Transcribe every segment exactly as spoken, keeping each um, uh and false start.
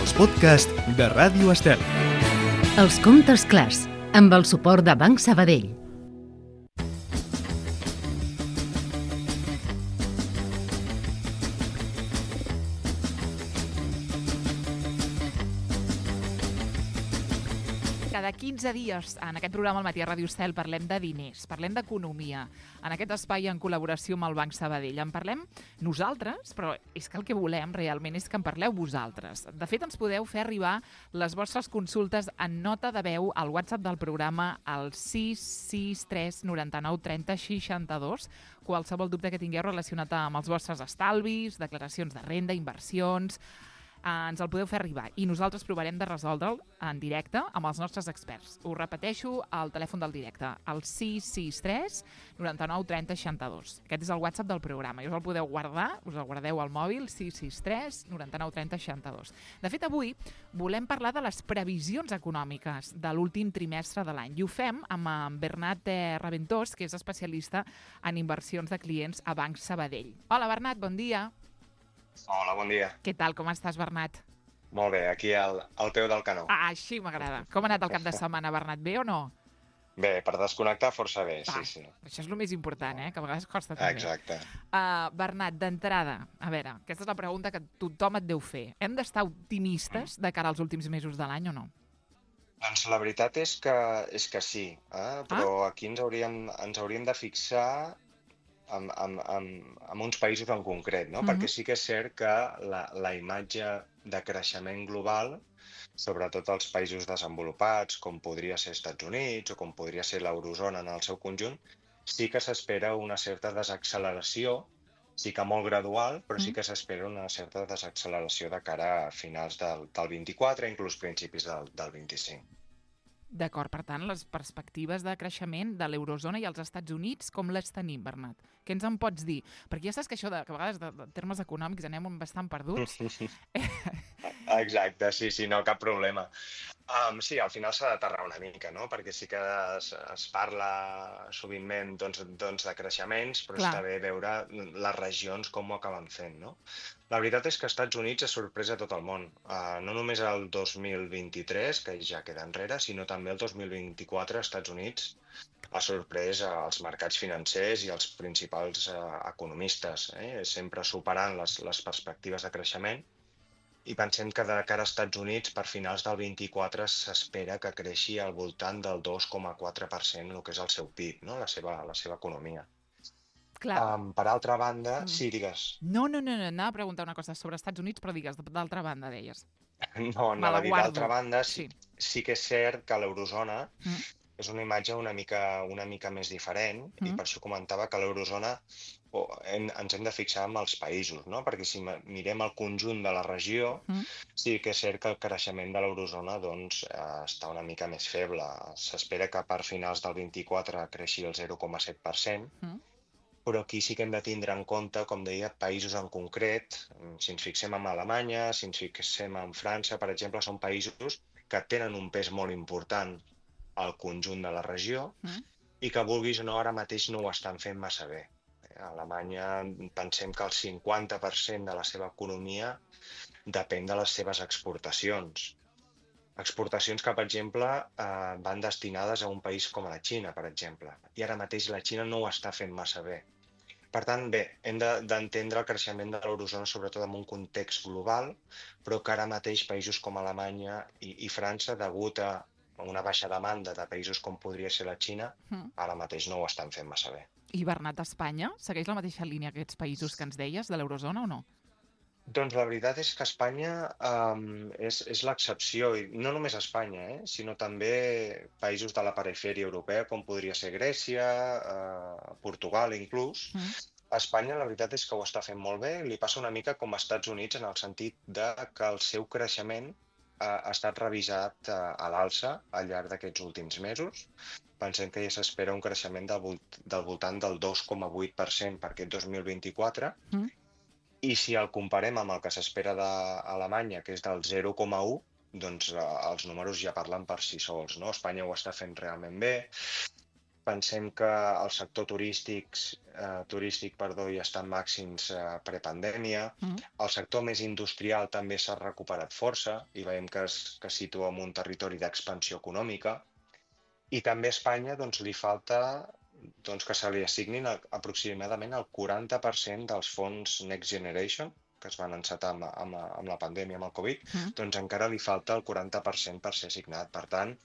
els podcasts de Ràdio Estel. Els contes clars, amb el suport de Banc Sabadell. Cada quinze dies, en aquest programa al matí a Ràdio Estel, parlem de diners, parlem d'economia, en aquest espai en col·laboració amb el Banc Sabadell. En parlem nosaltres, però és que el que volem realment és que en parleu vosaltres. De fet, ens podeu fer arribar les vostres consultes en nota de veu al WhatsApp del programa al sis sis tres nou nou tres zero sis dos. Qualsevol dubte que tingueu relacionat amb els vostres estalvis, declaracions de renda, inversions, ens el podeu fer arribar i nosaltres provarem de resoldre'l en directe amb els nostres experts. Us repeteixo el telèfon del directe, el sis sis tres nou nou tres zero sis dos. Aquest és el WhatsApp del programa i us el podeu guardar, us el guardeu al mòbil, sis sis tres nou nou tres zero sis dos. De fet, avui volem parlar de les previsions econòmiques de l'últim trimestre de l'any i ho fem amb en Bernat Raventós, que és especialista en inversions de clients a Banc Sabadell. Hola, Bernat, bon dia. Hola, bon dia. Què tal, com estàs, Bernat? Molt bé, aquí al, al peu del canó. Ah, així m'agrada. Com ha anat el cap de setmana, Bernat? Bé o no? Bé, per desconnectar força bé, ah, sí, sí. Això és el més important, eh? Que a vegades costa també. Exacte. Uh, Bernat, d'entrada, a veure, aquesta és la pregunta que tothom et deu fer. Hem d'estar optimistes de cara als últims mesos de l'any o no? Doncs la veritat és que, és que sí, eh? però ah? aquí ens hauríem, ens hauríem de fixar amb, amb, amb, amb uns països en concret, no? Uh-huh. Perquè sí que és cert que la, la imatge de creixement global, sobretot als països desenvolupats, com podria ser Estats Units o com podria ser l'eurozona en el seu conjunt, sí que s'espera una certa desacceleració, sí que molt gradual, però sí que s'espera una certa desacceleració de cara a finals del, del vint-i-quatre, inclús principis del, del vint-i-cinc. D'acord, per tant, les perspectives de creixement de l'eurozona i els Estats Units, com les tenim, Bernat? Què ens en pots dir? Perquè ja saps que això, de, que a vegades, de, de termes econòmics, anem bastant perduts. Exacte, sí, sí, no, cap problema. Um, sí, al final s'ha d'aterrar una mica, no? Perquè sí que es, es parla sovintment doncs, doncs, de creixements, però Clar. Està bé veure les regions com ho acaben fent, no? La veritat és que als Estats Units ha sorprès a tot el món. Uh, no només el dos mil vint-i-tres, que ja queda enrere, sinó també el dos mil vint-i-quatre als Estats Units ha sorprès als mercats financers i als principals uh, economistes, eh? Sempre superant les, les perspectives de creixement. I pensem que de cara als Estats Units, per finals del vint-i-quatre, s'espera que creixi al voltant del dos coma quatre per cent, el que és el seu P I B, no? la, seva, la seva economia. Clar. Um, per altra banda, mm. sí, digues. No, no, no, no, anava a preguntar una cosa sobre Estats Units, però digues, d'altra banda, deies. No, no, d'altra banda, sí, sí. sí que és cert que l'eurozona mm. és una imatge una mica, una mica més diferent, mm. i per això comentava que l'eurozona oh, hem, ens hem de fixar en els països, no? Perquè si mirem el conjunt de la regió, mm. sí que és cert que el creixement de l'eurozona doncs, eh, està una mica més feble. S'espera que per finals del vint-i-quatre creixi el zero coma set per cent, mm. però aquí sí que hem de tindre en compte, com deia, països en concret. Si ens fixem en Alemanya, si ens fixem en França, per exemple, són països que tenen un pes molt important al conjunt de la regió mm. i que, vulguis o no, ara mateix no ho estan fent massa bé. A Alemanya pensem que el cinquanta per cent de la seva economia depèn de les seves exportacions. Exportacions que, per exemple, eh, van destinades a un país com la Xina, per exemple. I ara mateix la Xina no ho està fent massa bé. Per tant, bé, hem d'entendre el creixement de l'eurozona sobretot en un context global, però que ara mateix països com Alemanya i, i França, degut a una baixa demanda de països com podria ser la Xina, mm. ara mateix no ho estan fent massa bé. I Bernat, Espanya segueix la mateixa línia que aquests països que ens deies, de l'eurozona o no? Doncs la veritat és que Espanya um, és, és l'excepció, i no només Espanya, eh, sinó també països de la perifèria europea, com podria ser Grècia, uh, Portugal inclús. Mm. Espanya la veritat és que ho està fent molt bé, li passa una mica com als Estats Units en el sentit de que el seu creixement ha estat revisat a l'alça al llarg d'aquests últims mesos. Pensem que ja s'espera un creixement del, volt del voltant del dos coma vuit per cent per aquest dos mil vint-i-quatre, mm. i si el comparem amb el que s'espera d'Alemanya, que és del zero coma u, doncs eh, els números ja parlen per si sols, no? Espanya ho està fent realment bé. pensem que el sector turístic, eh, turístic perdó, ja està en màxims eh, prepandèmia. Mm. El sector més industrial també s'ha recuperat força i veiem que es que situa en un territori d'expansió econòmica. I també a Espanya doncs, li falta doncs, que se li assignin aproximadament el quaranta per cent dels fons Next Generation, que es van encetar amb, amb, amb la pandèmia, amb el Covid, mm. doncs encara li falta el quaranta per cent per ser assignat. Per tant,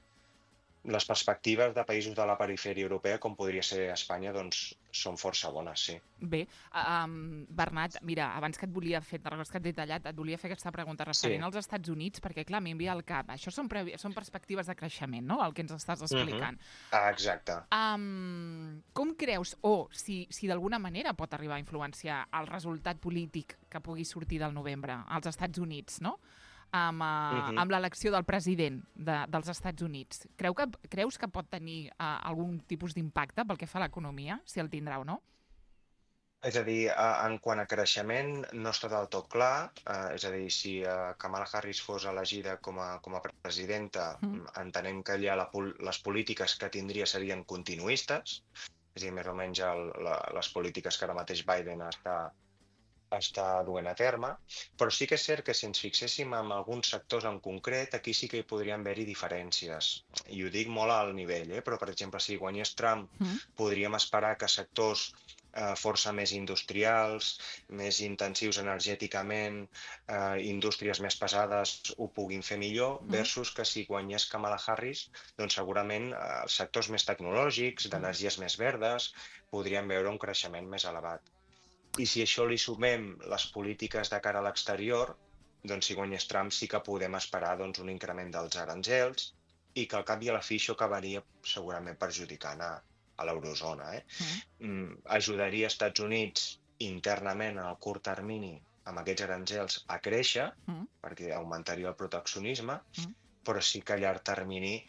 les perspectives de països de la perifèria europea, com podria ser Espanya, doncs són força bones, sí. Bé, um, Bernat, mira, abans que et volia fer, te recordes que et he tallat, et volia fer aquesta pregunta referent sí. als Estats Units, perquè, clar, m'envia al cap, això són, pre són perspectives de creixement, no?, el que ens estàs explicant. Uh-huh. Ah, exacte. Um, com creus, o si, si d'alguna manera pot arribar a influenciar el resultat polític que pugui sortir del novembre als Estats Units, no?, amb, uh, uh-huh. amb l'elecció del president de, dels Estats Units. Creu que, creus que pot tenir uh, algun tipus d'impacte pel que fa a l'economia, si el tindrà o no? És a dir, en quant a creixement no està del tot clar. Uh, és a dir, si uh, Kamala Harris fos elegida com a, com a presidenta, uh-huh. entenem que allà la, les polítiques que tindria serien continuistes, és a dir, més o menys el, la, les polítiques que ara mateix Biden està està duent a terme, però sí que és cert que si ens fixéssim en alguns sectors en concret, aquí sí que hi podrien haver-hi diferències. I ho dic molt al nivell, eh? Però per exemple, si guanyés Trump, mm. podríem esperar que sectors eh, força més industrials, més intensius energèticament, eh, indústries més pesades ho puguin fer millor, mm. versus que si guanyés Kamala Harris, doncs segurament eh, els sectors més tecnològics, d'energies més verdes, podrien veure un creixement més elevat. I si això li sumem les polítiques de cara a l'exterior, doncs si guanyés Trump sí que podem esperar doncs, un increment dels aranzels i que al cap i a la fi això acabaria segurament perjudicant a, a l'eurozona. Eh? Mm. Mm, ajudaria als Estats Units internament en el curt termini amb aquests aranzels a créixer, mm. perquè augmentaria el proteccionisme, mm. però sí que a llarg termini,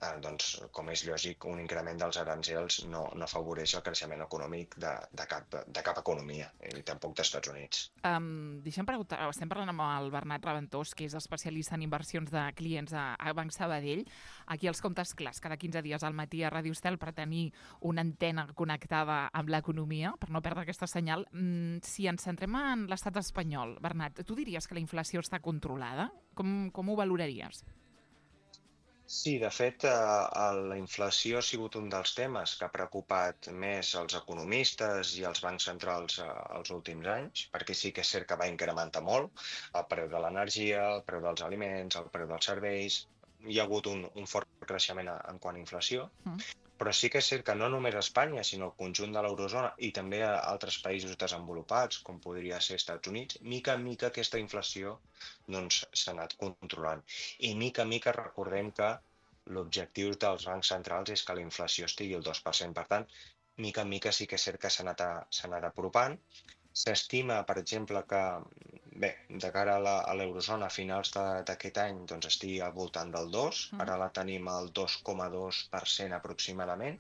eh, doncs, com és lògic, un increment dels aranzels no, no afavoreix el creixement econòmic de, de, cap, de cap economia, i tampoc dels Estats Units. Um, deixem preguntar, estem parlant amb el Bernat Raventós, que és especialista en inversions de clients a, a Banc Sabadell. Aquí els comptes clars, cada quinze dies al matí a Ràdio Estel per tenir una antena connectada amb l'economia, per no perdre aquesta senyal. Mm, si ens centrem en l'estat espanyol, Bernat, tu diries que la inflació està controlada? Com, com ho valoraries? Sí, de fet, eh, la inflació ha sigut un dels temes que ha preocupat més els economistes i els bancs centrals eh, els últims anys, perquè sí que és cert que va incrementar molt el preu de l'energia, el preu dels aliments, el preu dels serveis. Hi ha hagut un, un fort creixement en quant a inflació, mm. però sí que és cert que no només a Espanya, sinó al conjunt de l'eurozona i també a altres països desenvolupats, com podria ser Estats Units, mica en mica aquesta inflació doncs, s'ha anat controlant. I mica en mica recordem que l'objectiu dels bancs centrals és que la inflació estigui al dos per cent. Per tant, mica en mica sí que és cert que s'ha anat, anat apropant. S'estima, per exemple, que bé, de cara a l'eurozona a finals d'aquest any doncs, estigui al voltant del dos, mm. ara la tenim al dos coma dos per cent aproximadament,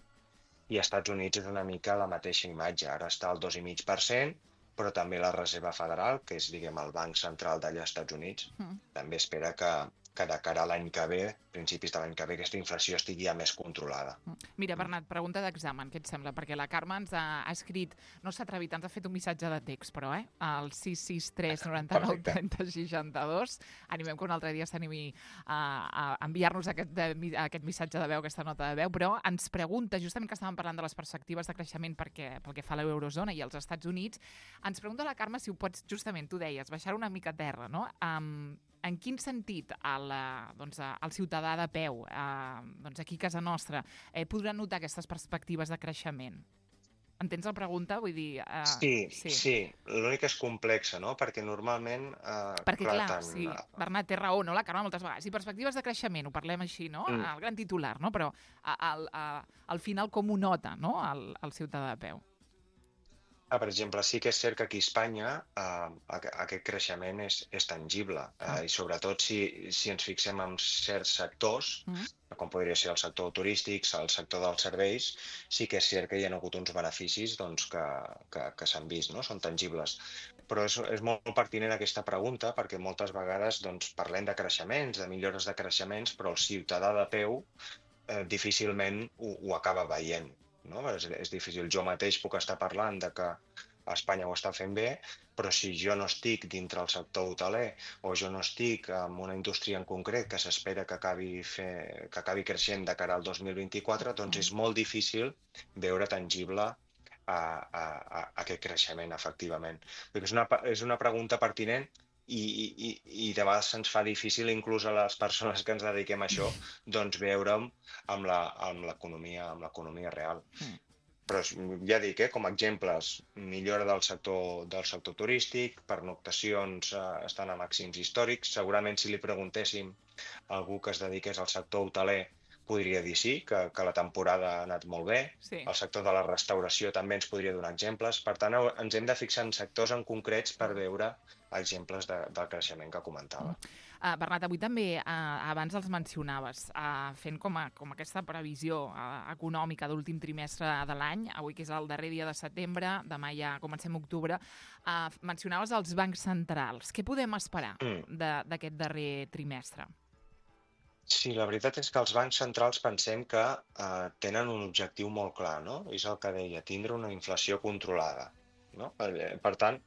i als Estats Units és una mica la mateixa imatge, ara està al dos coma cinc per cent, però també la Reserva Federal, que és diguem, el banc central d'allà als Estats Units, mm. també espera que, que de cara a l'any que ve, principis de l'any que ve, aquesta inflació estigui ja més controlada. Mira, Bernat, pregunta d'examen, què et sembla? Perquè la Carme ens ha, ha escrit, no s'ha atrevit, ens ha fet un missatge de text, però, eh? El sis sis tres noranta nou trenta seixanta-dos. Animem que un altre dia s'animi a, a enviar-nos aquest, de, aquest missatge de veu, aquesta nota de veu, però ens pregunta, justament que estàvem parlant de les perspectives de creixement perquè, pel que fa a l'eurozona i als Estats Units, ens pregunta la Carme si ho pots, justament, tu deies, baixar una mica a terra, no? Um, en quin sentit el, doncs, el ciutadà de peu, eh, doncs aquí a casa nostra, eh, podrà notar aquestes perspectives de creixement? Entens la pregunta? Vull dir... Eh, sí, sí. sí. L'únic és complexa, no? Perquè normalment... Eh, Perquè, clar, clar tant... sí, Bernat té raó, no? La Carme moltes vegades. I perspectives de creixement, ho parlem així, no? Mm. El gran titular, no? Però al, al, al final com ho nota, no? El, el ciutadà de peu. Ah, per exemple, sí que és cert que aquí a Espanya eh, aquest creixement és, és tangible eh, i sobretot si, si ens fixem en certs sectors, mm. com podria ser el sector turístic, el sector dels serveis, sí que és cert que hi ha hagut uns beneficis doncs, que, que, que s'han vist, no? Són tangibles. Però és, és molt pertinent aquesta pregunta perquè moltes vegades doncs, parlem de creixements, de millores de creixements, però el ciutadà de peu eh, difícilment ho, ho acaba veient. no? És, és difícil. Jo mateix puc estar parlant de que Espanya ho està fent bé, però si jo no estic dintre el sector hoteler o jo no estic en una indústria en concret que s'espera que acabi, fer, que acabi creixent de cara al dos mil vint-i-quatre, doncs és molt difícil veure tangible a, a, a aquest creixement, efectivament. Perquè és una, és una pregunta pertinent i, i, i de vegades se'ns fa difícil, inclús a les persones que ens dediquem a això, doncs veure'm amb l'economia amb l'economia real. Mm. Però ja dic, eh, com a exemples, millora del sector, del sector turístic, pernoctacions eh, estan a màxims històrics. Segurament si li preguntéssim a algú que es dediqués al sector hoteler podria dir sí, que, que la temporada ha anat molt bé. Sí. El sector de la restauració també ens podria donar exemples. Per tant, ens hem de fixar en sectors en concrets per veure exemples de, del creixement que comentava. Uh, Bernat, avui també, uh, abans els mencionaves, uh, fent com, a, com aquesta previsió uh, econòmica d'últim trimestre de l'any, avui que és el darrer dia de setembre, demà ja comencem octubre, uh, mencionaves els bancs centrals. Què podem esperar mm. d'aquest darrer trimestre? Sí, la veritat és que els bancs centrals pensem que uh, tenen un objectiu molt clar, no? És el que deia, tindre una inflació controlada. No? Per tant,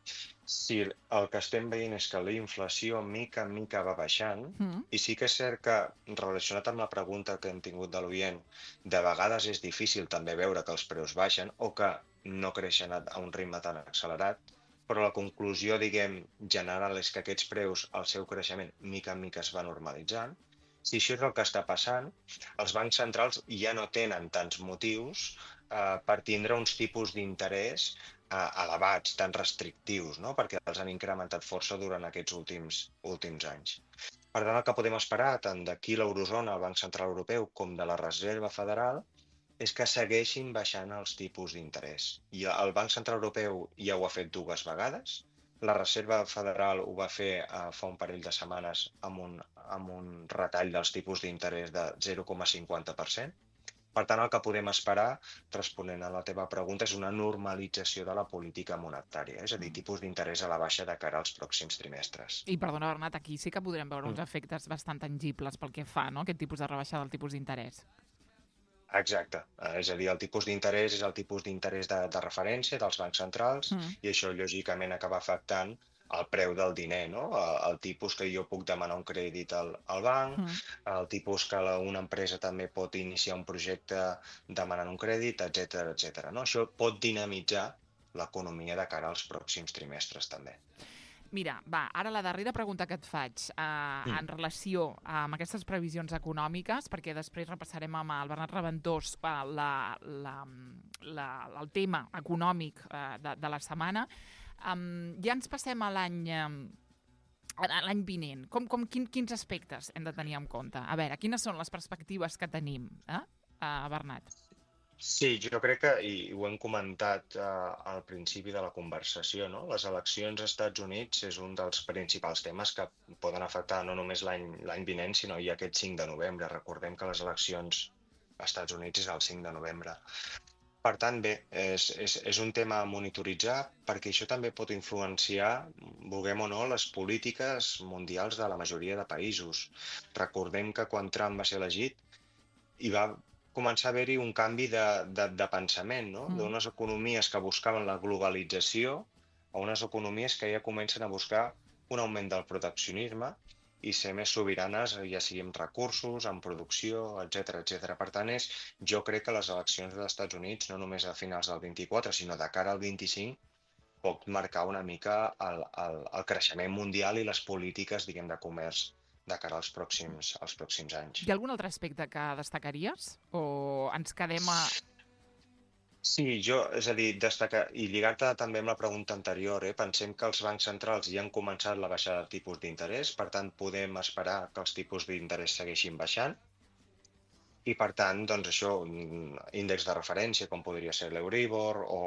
si el que estem veient és que la inflació mica en mica va baixant, mm. i sí que és cert que, relacionat amb la pregunta que hem tingut de l'oient, de vegades és difícil també veure que els preus baixen o que no creixen a un ritme tan accelerat, però la conclusió, diguem, general és que aquests preus, el seu creixement, mica en mica es va normalitzant. Si això és el que està passant, els bancs centrals ja no tenen tants motius eh, per tindre uns tipus d'interès eh, elevats, tan restrictius, no? Perquè els han incrementat força durant aquests últims, últims anys. Per tant, el que podem esperar, tant d'aquí l'Eurozona, el Banc Central Europeu, com de la Reserva Federal, és que segueixin baixant els tipus d'interès. I el Banc Central Europeu ja ho ha fet dues vegades. La Reserva Federal ho va fer uh, fa un parell de setmanes amb un, amb un retall dels tipus d'interès de zero coma cinquanta per cent. Per tant, el que podem esperar, responent a la teva pregunta, és una normalització de la política monetària, és a dir, tipus d'interès a la baixa de cara als pròxims trimestres. I perdona, Bernat, aquí sí que podrem veure mm. uns efectes bastant tangibles pel que fa, no?, aquest tipus de rebaixada del tipus d'interès. Exacte, és a dir, el tipus d'interès és el tipus d'interès de, de referència dels bancs centrals mm. i això lògicament acaba afectant el preu del diner, no? El, el tipus que jo puc demanar un crèdit al, al banc, mm. el tipus que la, una empresa també pot iniciar un projecte demanant un crèdit, etcètera, etcètera. No? Això pot dinamitzar l'economia de cara als pròxims trimestres també. Mira, va, ara la darrera pregunta que et faig eh, mm. en relació amb aquestes previsions econòmiques, perquè després repassarem amb el Bernat Raventós eh, la, la, la, el tema econòmic eh, de, de la setmana. Um, ja ens passem a l'any eh, l'any vinent. Com, com, quin, quins aspectes hem de tenir en compte? A veure, quines són les perspectives que tenim, eh, uh, Bernat? Sí, jo crec que, i ho hem comentat eh, al principi de la conversació, no? Les eleccions als Estats Units és un dels principals temes que poden afectar no només l'any l'any vinent, sinó ja aquest cinc de novembre. Recordem que les eleccions als Estats Units és el cinc de novembre. Per tant, bé, és, és, és un tema a monitoritzar perquè això també pot influenciar, vulguem o no, les polítiques mundials de la majoria de països. Recordem que quan Trump va ser elegit hi va començar a haver-hi un canvi de, de, de pensament, no? Mm. D'unes economies que buscaven la globalització a unes economies que ja comencen a buscar un augment del proteccionisme i ser més sobiranes, ja sigui amb recursos, en producció, etcètera, etcètera. Per tant, és, jo crec que les eleccions dels Estats Units, no només a finals del vint-i-quatre, sinó de cara al vint-i-cinc, pot marcar una mica el, el, el creixement mundial i les polítiques, diguem, de comerç de cara als pròxims, als pròxims anys. Hi ha algun altre aspecte que destacaries? O ens quedem a... Sí, jo, és a dir, destacar, i lligar-te també amb la pregunta anterior, eh, pensem que els bancs centrals ja han començat la baixada de tipus d'interès, per tant, podem esperar que els tipus d'interès segueixin baixant, i per tant, doncs això, índex de referència, com podria ser l'Euribor, o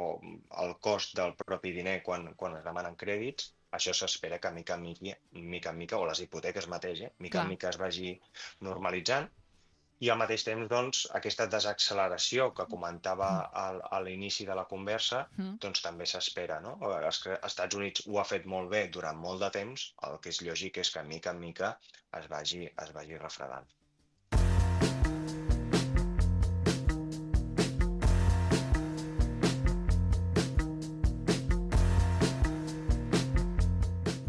el cost del propi diner quan, quan es demanen crèdits, això s'espera que mica en mica, mica en mica, o les hipoteques mateix, eh, mica en mica es vagi normalitzant. I al mateix temps, doncs, aquesta desacceleració que comentava al, a l'inici de la conversa, mm. doncs també s'espera, no? Els Estats Units ho ha fet molt bé durant molt de temps, el que és lògic és que mica en mica es vagi, es vagi refredant.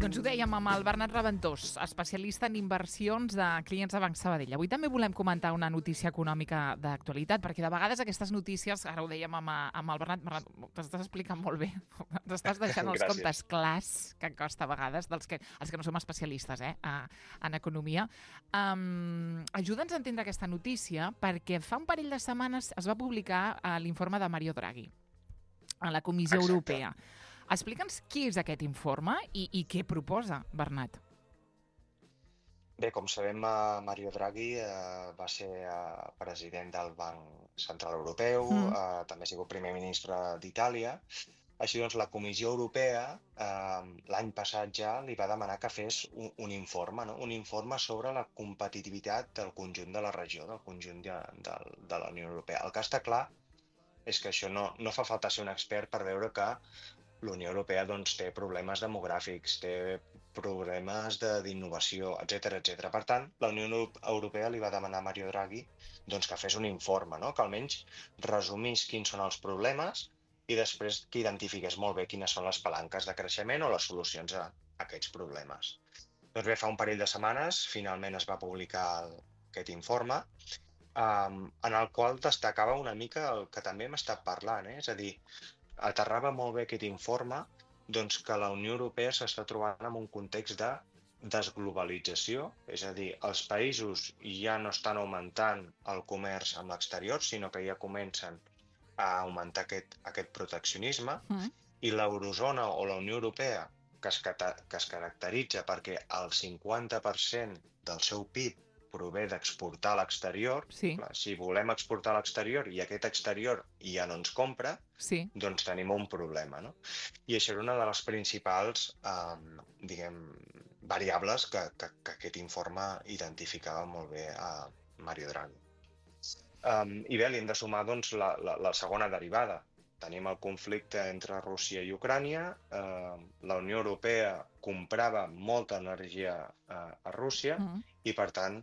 Doncs ho dèiem amb el Bernat Raventós, especialista en inversions de clients de Banc Sabadell. Avui també volem comentar una notícia econòmica d'actualitat, perquè de vegades aquestes notícies, ara ho dèiem amb, amb el Bernat, Bernat t'estàs explicant molt bé, t'estàs deixant els comptes clars, que costa a vegades, dels que, els que no som especialistes eh, en economia. Um, Ajuda'ns a entendre aquesta notícia, perquè fa un parell de setmanes es va publicar l'informe de Mario Draghi a la Comissió Exacte. Europea. Explica'ns qui és aquest informe i, i què proposa, Bernat. Bé, com sabem, Mario Draghi eh, va ser eh, president del Banc Central Europeu, mm. eh, també ha sigut primer ministre d'Itàlia. Així doncs, la Comissió Europea eh, l'any passat ja li va demanar que fes un, un informe, no? un informe sobre la competitivitat del conjunt de la regió, del conjunt de, de, de la Unió Europea. El que està clar és que això no, no fa falta ser un expert per veure que la Unió Europea doncs, té problemes demogràfics, té problemes d'innovació, etcètera, etcètera. Per tant, la Unió Europea li va demanar a Mario Draghi doncs, que fes un informe, no? que almenys resumís quins són els problemes i després que identifiqués molt bé quines són les palanques de creixement o les solucions a aquests problemes. Doncs bé, fa un parell de setmanes finalment es va publicar el, aquest informe um, en el qual destacava una mica el que també hem estat parlant, eh? és a dir, aterrava molt bé aquest informe doncs, que la Unió Europea s'està trobant en un context de desglobalització, és a dir, els països ja no estan augmentant el comerç amb l'exterior, sinó que ja comencen a augmentar aquest, aquest proteccionisme, mm. i l'eurozona o la Unió Europea, que es, que es caracteritza perquè el cinquanta per cent del seu P I B prové d'exportar a l'exterior, sí. si volem exportar a l'exterior i aquest exterior ja no ens compra, sí. doncs tenim un problema. No? I això era una de les principals eh, diguem, variables que, que, que aquest informe identificava molt bé a Mario Draghi. Um, I bé, li hem de sumar doncs, la, la, la segona derivada. Tenim el conflicte entre Rússia i Ucrània, eh, la Unió Europea comprava molta energia eh, a Rússia mm. i, per tant,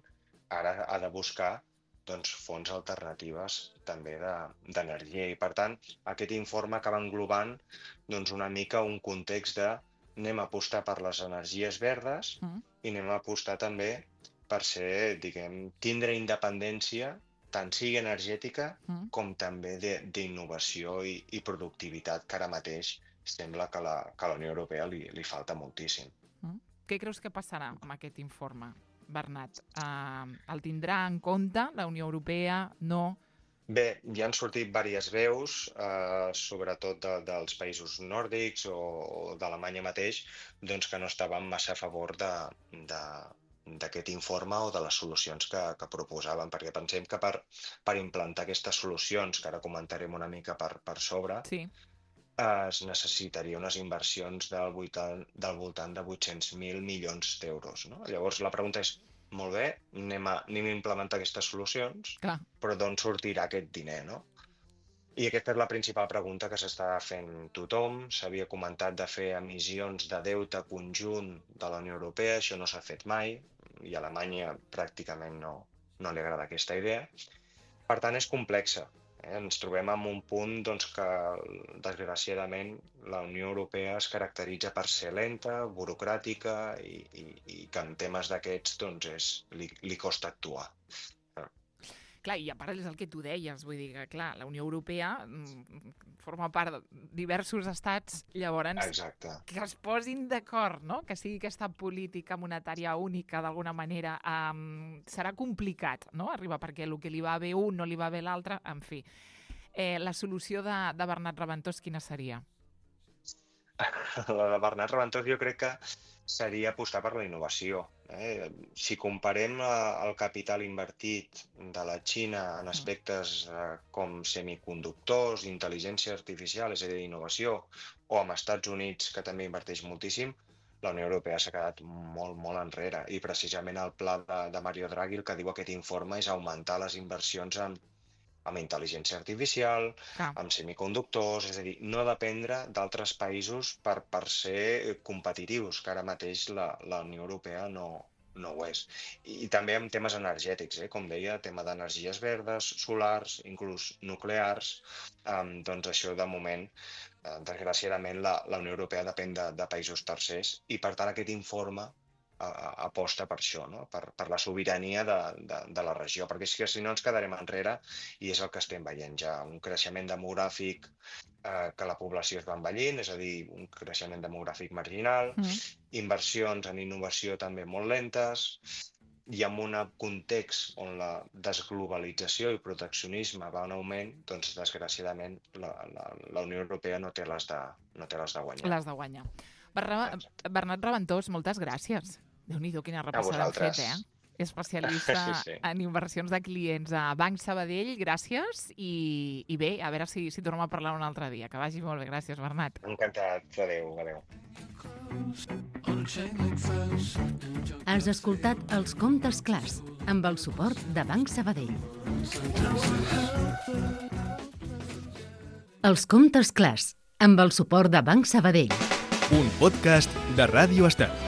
ara ha de buscar doncs, fonts alternatives també d'energia. I, per tant, aquest informe acaba englobant doncs, una mica un context de anem a apostar per les energies verdes mm. i anem a apostar també per ser, diguem, tindre independència tant sigui energètica mm. com també d'innovació i, i productivitat, que ara mateix sembla que la, que a la Unió Europea li, li falta moltíssim. Mm. Què creus que passarà amb aquest informe, Bernat? Uh, el tindrà en compte la Unió Europea? No? Bé, ja han sortit diverses veus, eh, sobretot de, dels països nòrdics o, o d'Alemanya mateix, doncs que no estaven massa a favor de... de d'aquest informe o de les solucions que, que proposaven, perquè pensem que per, per implantar aquestes solucions, que ara comentarem una mica per, per sobre, sí. es necessitaria unes inversions del voltant, del voltant de vuit-cents mil milions d'euros. No? Llavors la pregunta és, molt bé, anem a, anem a implementar aquestes solucions, Clar. però d'on sortirà aquest diner, no? I aquesta és la principal pregunta que s'està fent tothom. S'havia comentat de fer emissions de deute conjunt de la Unió Europea, això no s'ha fet mai, i a Alemanya pràcticament no, no li agrada aquesta idea. Per tant, és complexa. Eh? Ens trobem en un punt doncs, que, desgraciadament, la Unió Europea es caracteritza per ser lenta, burocràtica i, i, i que en temes d'aquests doncs, és, li, li costa actuar. Clar, i a part és el que tu deies, vull dir que, clar, la Unió Europea forma part de diversos estats, llavors Exacte. que es posin d'acord, no? Que sigui aquesta política monetària única, d'alguna manera, um, serà complicat, no? Arribar, perquè el que li va bé un no li va bé l'altre, en fi. Eh, la solució de, de Bernat Raventós, quina seria? La de Bernat Raventós jo crec que seria apostar per la innovació. Eh? Si comparem el capital invertit de la Xina en aspectes eh, com semiconductors, intel·ligència artificial, és a dir, innovació, o amb Estats Units, que també inverteix moltíssim, la Unió Europea s'ha quedat molt, molt enrere. I precisament el pla de, de Mario Draghi, el que diu aquest informe, és augmentar les inversions en amb intel·ligència artificial, ah. amb semiconductors, és a dir, no dependre d'altres països per, per ser competitius, que ara mateix la, la Unió Europea no, no ho és. I, i també amb temes energètics, eh? Com deia, tema d'energies verdes, solars, inclús nuclears, um, doncs això de moment desgraciadament, la, la Unió Europea depèn de, de països tercers i, per tant, aquest informe a, a, aposta per això, no? per, per la sobirania de, de, de la regió, perquè és que si no ens quedarem enrere, i és el que estem veient ja, un creixement demogràfic eh, que la població es va envellint, és a dir, un creixement demogràfic marginal, mm. inversions en innovació també molt lentes, i en un context on la desglobalització i proteccionisme va en augment, doncs, desgraciadament, la, la, la Unió Europea no té les de, no té les de guanyar. Les de guanyar. Bernat, Bernat Raventós, moltes gràcies. Déu-n'hi-do, quina repassada hem fet, eh? Especialista sí, sí. en inversions de clients a Banc Sabadell, gràcies, i, i bé, a veure si, si tornem a parlar un altre dia. Que vagi molt bé, gràcies, Bernat. Encantat, adéu, adéu. Has escoltat Els Comptes Clars, amb el suport de Banc Sabadell. Els Comptes Clars, amb el suport de Banc Sabadell. Un podcast de Ràdio Estel.